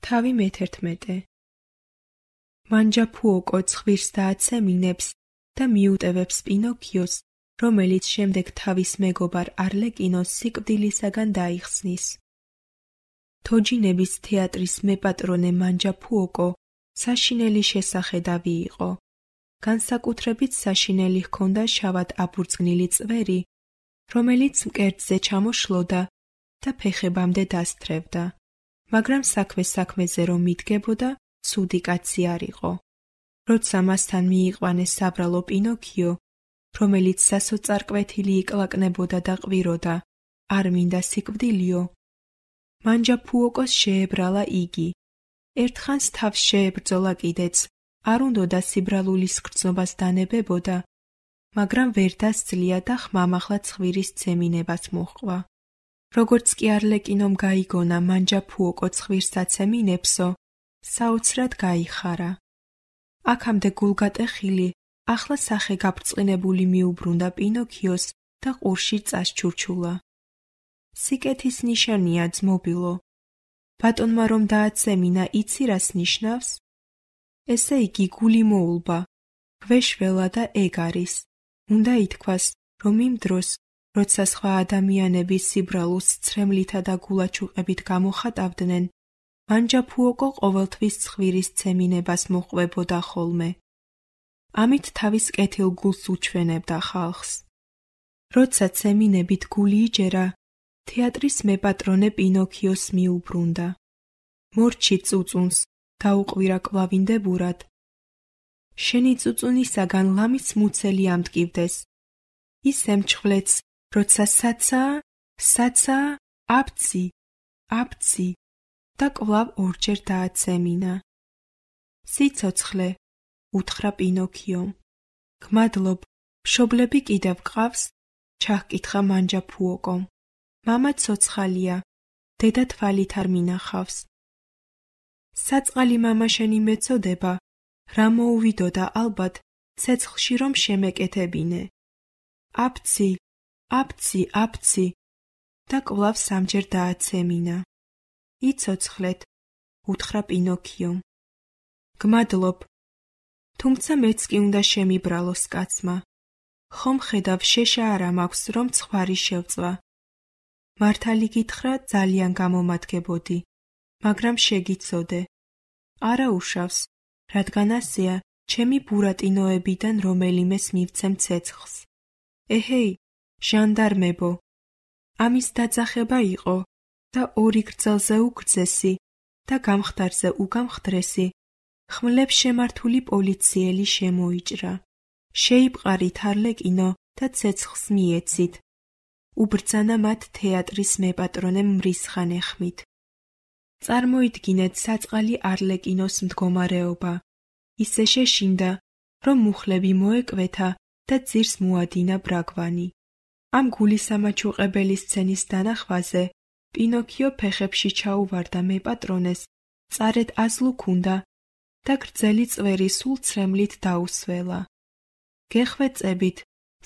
თავი მე-11. მანჯაფუოკო ცხვირს დააცემინებს და მიუტევებს პინოქიოს, რომელიც შემდეგ თავის მეგობარ არლეკინოს სიკვდილისაგან დაიხსნის. თოჯინების თეატრის მეპატრონე მანჯაფუოკო საშინელი შესახედავი იყო. განსაკუთრებით საშინელი ჰქონდა შავად აბურძგნილი წვერი, რომელიც მკერდზე ჩამოშლოდა და ფეხებამდე დასთრევდა. მაგრამ საქმეზე რომ მიდგებოდა, ცუდი კაცი არ იყო. როცა მასთან მიიყვანეს საბრალო პინოქიო, რომელიც სასოწარკვეთილი იკლაკნებოდა და ყვიროდა, არ მინდა სიკვდილიო, მანჯაფუოკოს შეებრალა იგი. ერთხანს თავს შეებრძოლა კიდეც, არ უნდოდა სიბრალულის გრძნობას დანებებოდა, მაგრამ ვერ დასძლია და ხმამაღლა ცხვირის ცემინებას მოჰყვა. როგორც კი არლეკინომ გაიგონა მანჯაფუოკო ცხვირს აცემინებსო, საოცრად გაიხარა. აქამდე გულგატეხილი, ახლა სახე გაბრწყინებული მიუბრუნდა პინოქიოს და ყურში წასჩურჩულა. სიკეთის ნიშანია ძმობილო. ბატონმა რომ დააცემინა, იცი რას ნიშნავს? ესე იგი გული მოულბა, გვეშველა და ეგ არის. უნდა ითქვას, რომ იმ დროს, როცა სხვა ადამიანები სიბრალულს ცრემლითა და გულაჩუყებით გამოხატავდნენ, მანჯაფუოკო ყოველთვის ცხვირის ცემინებას მოჰყვებოდა ხოლმე. ამით თავის კეთილ გულს უჩვენებდა ხალხს. როცა ცემინებით გული იჯერა, თეატრის მეპატრონე პინოქიოს მიუბრუნდა. მორჩი წუწუნს დაუყვირა კვლავინდებურად. შენი წუწუნისაგან ლამის მუცელი ამტკივდეს. ის ემჩხვლեց, როცა საცა, აბცი და კვლავ ორჯერ დააცემინა. სიცოცხლე, უთხრა პინოქიომ. გმადლობ, მშობლები კიდევ გყავს? ჩაჰკითხა მანჯაფუოკომ. მამა ცოცხალია, დედა თვალით არ მინახავს. საწყალი მამა შენი მეწოდება, რა მოუვიდოდა ალბათ, ცეცხლში რომ შემეკეთებინე. აბცი და კვლავ სამჯერ დააცემინა. იცოცხლეთ, უთხრა პინოქიომ. გმადლობ, თუმცა მეც კი უნდა შემიბრალოს კაცმა. ხომ ხედავ შეშა არა მაქვს, რომ ცხვარი შევწვა. მართალი გითხრა, ძალიან გამომადგებოდი, მაგრამ შეგიცოდე. არა უშავს, რადგან ასეა ჩემი ბურატინოებიდან რომელიმეს მივცემ ცეცხლს. ეჰეი, ჟანდარმებო, ამის დაძახება იყო და ორი გრძელზე უგრძესი და გამხდარზე უგამხდრესი ხმლებს შემართული პოლიციელი შემოიჭრა. შეიპყარით არლეკინო და ცეცხლს მიეცით. უბრძანა მათ თეატრის მეპატრონემ მრისხანეხმით. წარმოიდგინეთ საწყალი არლეკინოს მდგომარეობა. ისე შეშინდა, რომ მუხლები მოეკვეთა და ძირს მოადინა ბრაგვანი. ამ გულისამაჩუყებელი სცენის დანახვაზე პინოქიო ფეხებში ჩაუვარდა მეპატრონეს, წარეთ აზლუქუნდა და გრძელი წვერი სულ ცრემლით დაუსველა. გეხვეწებით,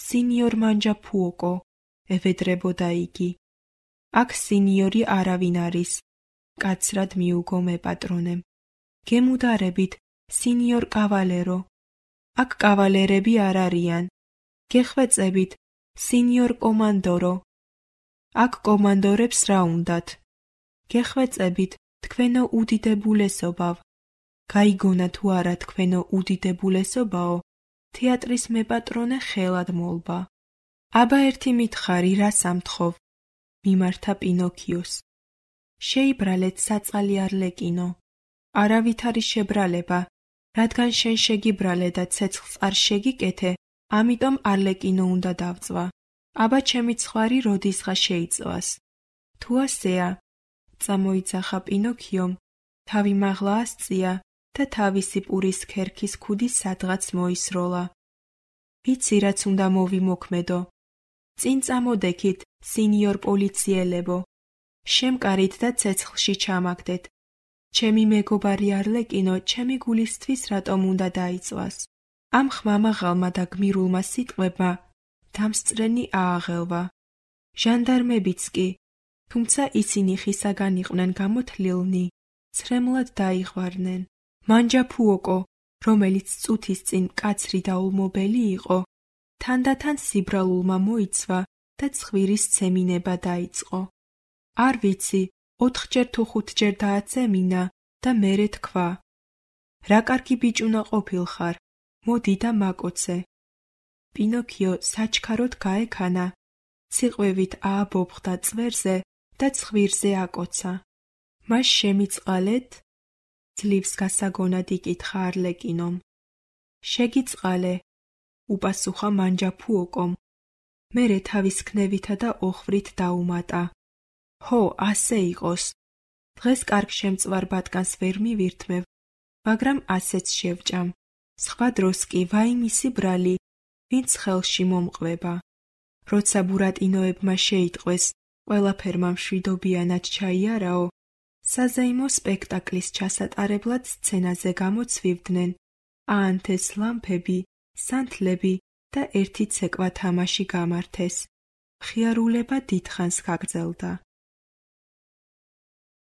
სინიორ მანჯაფუოკო, ევედრებოდა იგი. აქ სინიორი არავინ არის, კაცრად მიუგო მეპატრონემ. გემუდარებით, სინიორ კავალერო. აქ კავალერები არ არიან. გეხვეწებით, სინიორ კომანდორო. აქ კომანდორებს რა უნდათ? გეხვეწებით, თქვენო უდიდებულესობავ. გაიგონა თუ არა თქვენო უდიდებულესობაო, თეატრის მეპატრონე ხელად მოლბა. აბა ერთი მითხარი, რას ამთხოვ? მიმართა პინოქიოს. შეიბრალეთ საწყალი არლეკინო. არავით არის შებრალება, რადგან შენ შეგიბრალე და ცეცხლს არ შეგიკეთე, ამიტომ არლეკინო უნდა დავწვა. აბა ჩემი ცხვარი როდისღა შეიწვას. თუ ასეა, წამოიძახა პინოქიომ, თავი მაღლა ასწია და თავისი პურის ქერქის ქუდი სადღაც მოისროლა. ვიცი რაც უნდა მოვიმოქმედო. წინ წამოდექით, სინიორ პოლიციელებო. შემკარით და ცეცხლში ჩამაგდეთ. ჩემი მეგობარი არლეკინო ჩემი გულისთვის რატომ უნდა დაიწვას? ამ ხმამაღალმა და გმირულმა სიტყვებმა დამსწრენი ააღელვა. ჟანდარმებიც კი, თუმცა ისინი ხისაგან იყვნენ გამოთლილნი, ცრემლად დაიღვარნენ. მანჯაფუოკო, რომელიც წუთის წინ მკაცრი და ულმობელი იყო, თანდათან სიბრალულმა მოიცვა და ცხვირის ცემინება დაიწყო. არ ვიცი, 4-ჯერ თუ 5-ჯერ დააცემინა და მერე თქვა: რა კარგი ბიჭუნა ყოფილხარ, მოდი და მაკოცე. პინოქიო საჩქაროდ გაექანა, ციყვევით ააბობხდა წვერზე და ცხვირზე აკოცა. მას შემიწყალეთ? ძლივს გასაგონად იკითხა არლეკინომ. შეგიწყალე, უპასუხა მანჯაფუოკომ. მერე თავის ქნევითა და ოხვრით დაუმატა. ჰო, ასე იყოს. დღეს კარგ შემწვარ ბატკანს ვერ მივირთმევ, მაგრამ ასეც შევჭამ. სხვა დროს კი ვაიმისი ბრალი, ვინც ხელში მომყვება. როცა ბურატინოებმა შეიტყვეს, ყველაფერმა მშვიდობიანად ჩაიარაო, საზეიმო სპექტაკლის ჩასატარებლად სცენაზე გამოცვივდნენ აანთეს ლამპები, სანთლები და ერთი ცეკვა თამაში გამართეს. მხიარულება დიდხანს გაგრძელდა.